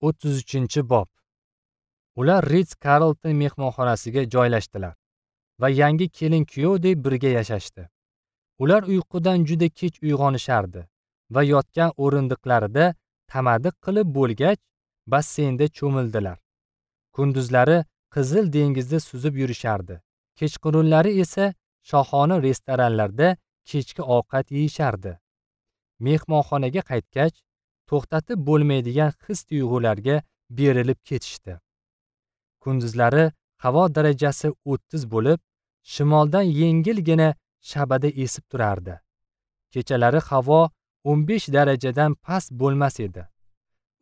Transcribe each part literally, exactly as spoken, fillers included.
o'ttiz uchinchi bob. Ular Ritz Carlton mehmonxonasiga joylashdilar va yangi kelin-kuyovdek birga yashashdi. Ular uyqudan juda kech uyg'onishardi va yotgan o'rindiqlarida tamadiq qilib bo'lgach, basseynda cho'mildilar. Kunduzlari Qizil dengizda suzib yurishardi. Kechqurunlari esa shohona restoranlarda kechki ovqat yeyishardi. Mehmonxonaga qaytgach, to'xtatib bo'lmaydigan his-tuyg'ularga berilib ketishdi. Kunduzlari havo darajasi o'ttiz bo'lib, shimoldan yengilgina shabada esib turardi. Kechalari havo o'n besh darajadan past bo'lmas edi.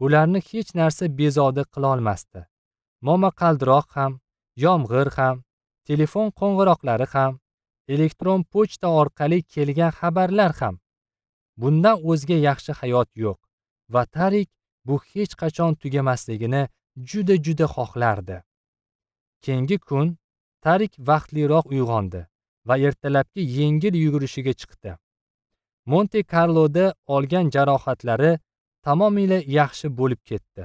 Ularni hech narsa bezovta qila olmasdi. Momaqaldiroq ham, yomg'ir ham, telefon qo'ng'iroqlari ham, elektron pochta orqali kelgan xabarlar ham. Bundan o'zga yaxshi hayot yo'q va Tarik bu hech qachon tugamasligini juda-juda xohlardi. Keyingi kun Tarik vaqtliroq uyg'ondi va ertalabki yengil yugurishiga chiqdi. Monte Carloda olgan jarohatlari tamomila yaxshi bo'lib ketdi.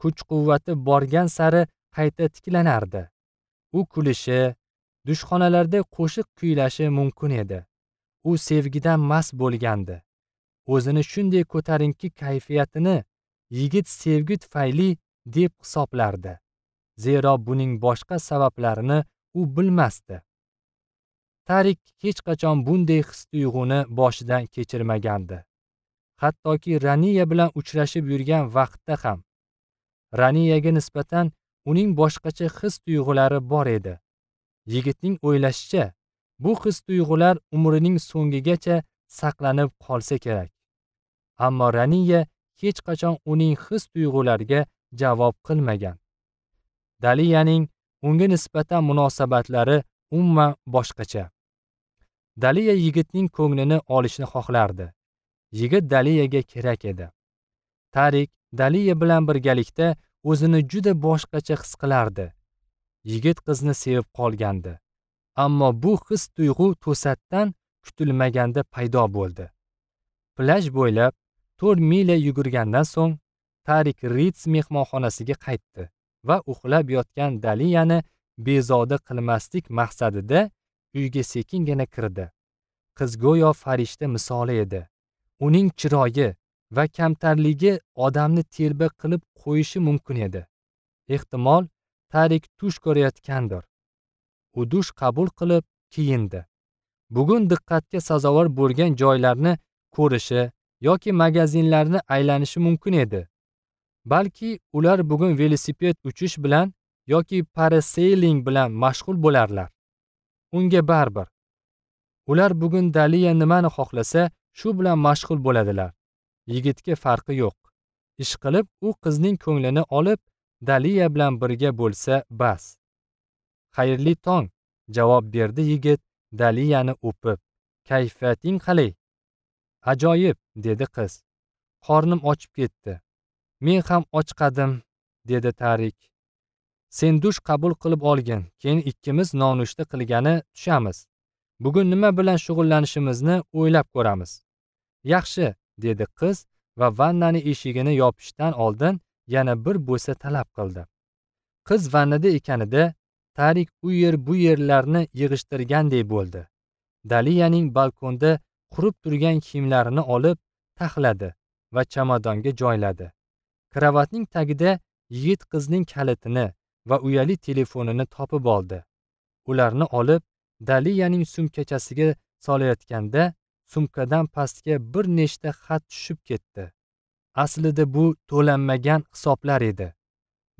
Kuch-quvvati borgan sari qayta tiklanardi. U kulishi, dushxonalarda qo'shiq kuylashi mumkin edi. U sevgidan mast bo'lgandi. O'zini shunday ko'tarinki kayfiyatini yigit sevgi tufayli deb hisoblardi. Zero buning boshqa sabablarini u bilmasdi. Tarik hech qachon bunday his-tuyg'uni boshidan kechirmagandi. Hattoki Raniya bilan uchrashib yurgan vaqtda ham. Raniyaga nisbatan uning boshqacha his-tuyg'ulari bor edi. Yigitning o'ylashicha, bu his-tuyg'ular umrining so'ngigacha saqlanib qolsa kerak. Ammo Raniya hech qachon uning his-tuyg'ulariga javob qilmagan. Daliyaning unga nisbatan munosabatlari umuman boshqacha. Daliya yigitning ko'nglini olishni xohlardi. Yigit Daliyaga kerak edi. Tarik Daliya bilan birgalikda o'zini juda boshqacha his qilardi. Yigit qizni sevib qolgandi. Ammo bu his-tuyg'u to'satdan kutilmaganda paydo bo'ldi. Plyaj bo'ylab to'rt milya yugurgandan so'ng Tarik Ritz mehmonxonasiga qaytdi va uxlab yotgan Daliyani bezovta qilmaslik maqsadida uyga sekingina kirdi. Qiz go'yo farishta misoli edi. Uning chiroyi va kamtarligi odamni telba qilib qo'yishi mumkin edi. Ehtimol Tarik tush ko'rayotgandir. U dush qabul qilib kiyindi. Bugun diqqatga sazovor bo'lgan joylarni ko'rishi yoki magazinlarni aylanishi mumkin edi. Balki ular bugun velosiped uchish bilan yoki parasailing bilan mashg'ul bo'larlar. Unga baribir. Ular bugun Daliya nimani xohlasa, shu bilan mashg'ul bo'ladilar. Yigitga farqi yo'q. Ish qilib, u qizning ko'nglini olib, Daliya bilan birga bo'lsa bas. Xayrli tong, javob berdi yigit Daliyani o'pib. Kayfiyating qalay? Ajoyib, dedi qiz. Qornim ochib ketdi. Men ham ochqadim, dedi Tarik. Sen dush qabul qilib olgin, keyin ikkimiz nonushta qilgani tushamiz. Bugun nima bilan shug'ullanishimizni o'ylab ko'ramiz. Yaxshi, dedi qiz va vannani eshigini yopishdan oldin yana bir bo'sa talab qildi. Qiz vannada ekanida Tarik u yer bu yerlarni yig'ishtirgandek bo'ldi. Daliyaning balkonda qurib turgan kiyimlarini olib taxladi va chamadonga joyladi. Kravatning tagida yigit qizning kalitini va uyali telefonini topib oldi. Ularni olib Daliyaning sumkachasiga solayotganda sumkadan pastga bir nechta xat tushib ketdi. Aslida bu to'lanmagan hisoblar edi.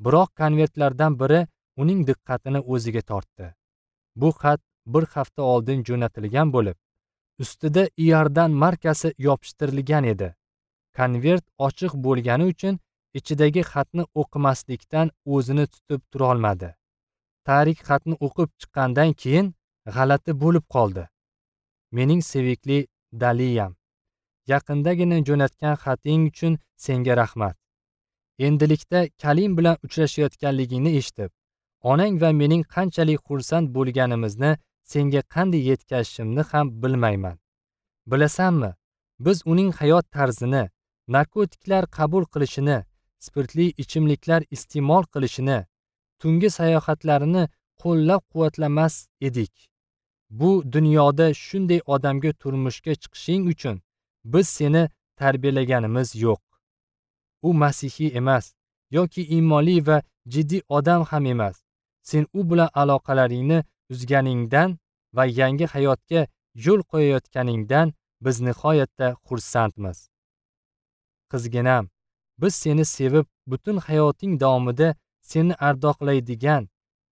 Biroq konvertlardan biri uning diqqatini o'ziga tortdi. Bu xat bir hafta oldin jo'natilgan bo'lib, ustida Iordan markasi yopishtirilgan edi. Konvert ochiq bo'lgani uchun ichidagi xatni o'qimaslikdan o'zini tutib tura olmadi. Tarik xatni o'qib chiqqandan keyin g'alati bo'lib qoldi. Mening sevikli Daliyam, yaqindagina jo'natgan xating uchun senga rahmat. Endilikda Kalim bilan uchrashayotganligingni eshitib, onang va mening qanchalik xursand bo'lganimizni senga qanday yetkazishimni ham bilmayman. Bilasanmi, biz uning hayot tarzini, narkotiklar qabul qilishini, spirtli ichimliklar iste'mol qilishini, tungi sayohatlarini qo'llab-quvvatlamas edik. Bu dunyoda shunday odamga turmushga chiqishing uchun biz seni tarbiyalaganimiz yo'q. U masihiy emas yoki iymonli va jiddiy odam ham emas. Sen u bilan aloqalaringni uzganingdan va yangi hayotga yo'l qo'yayotganingdan biz nihoyatda xursandmiz. Qizginam, biz seni sevib, butun hayoting davomida seni ardoqlaydigan,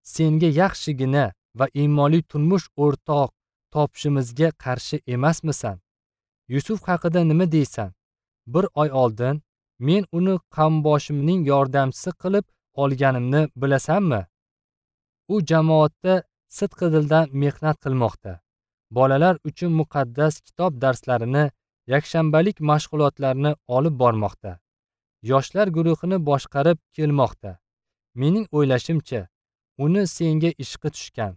senga yaxshigina va iymonli turmush o'rtoq topishimizga qarshi emasmisan? Yusuf haqida nima deysan? Bir oy oldin men uni qamboshimning yordamchisi qilib olganimni bilasanmi? U jamoatda sidqidildan mehnat qilmoqda. Bolalar uchun muqaddas kitob darslarini, yakshanbalik mashg'ulotlarni olib bormoqda. Yoshlar guruhini boshqarib kelmoqda. Mening o'ylashimcha, uni senga ishqi tushgan.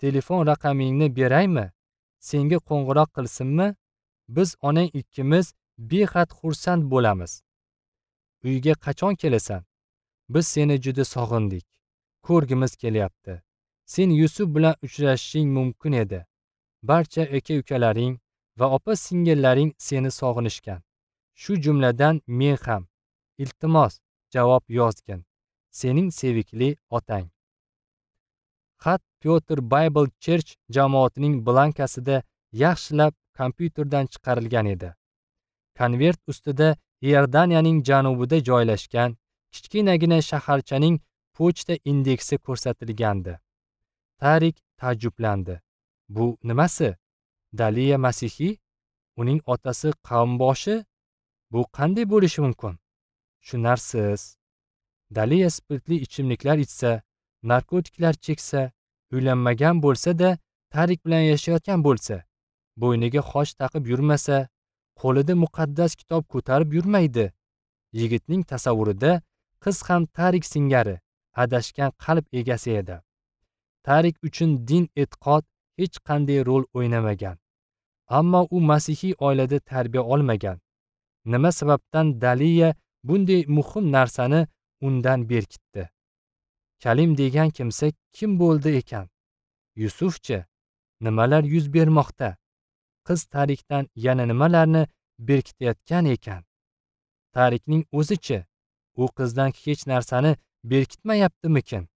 Telefon raqamingni beraymi? Senga qo'ng'iroq qilsinmi? Biz onang ikkimiz behad xursand bo'lamiz. Uyga qachon kelasan? Biz seni juda sog'indik. Ko'rgimiz kelyapti. Sen Yusuf bilan uchrashishing mumkin edi. Barcha aka-ukalaring va opa-singillaring seni sog'inishgan. Shu jumladan men ham. Iltimos, javob yozgin. Sening sevikli otang. Xat Pyotr Bible Church jamoatining blankasida yaxshilab kompyuterdan chiqarilgan edi. Konvert ustida Iordaniyaning janubida joylashgan kichkinagina shaharchaning pochta indeksi ko'rsatilgandi. Tarik ta'jjublandi. Bu nimasi? Daliya masihiy? Uning otasi qavmboshi? Bu qanday bo'lishi mumkin? Tushunarsiz. Daliya spirtli ichimliklar ichsa, narkotiklar cheksa, uylanmagan bo'lsa-da, Tarik bilan yashayotgan bo'lsa, bo'yniga xoch taqib yurmasa, qo'lida muqaddas kitob ko'tarib yurmaydi. Yigitning tasavvurida qiz ham Tarik singari adashgan qalb egasi edi. Tarik uchun din e'tiqod hech qanday rol o'ynamagan. Ammo u masihiy oilada tarbiya olmagan. Nima sababdan Daliya bunday muhim narsani undan berkitdi? Kalim degan kimsa kim bo'ldi ekan? Yusufchi? Nimalar yuz bermoqda? Qiz Tarikdan yana nimalarni berkitayotgan ekan? Tarikning o'zichi? U qizdan hech narsani berkitmayaptimikin?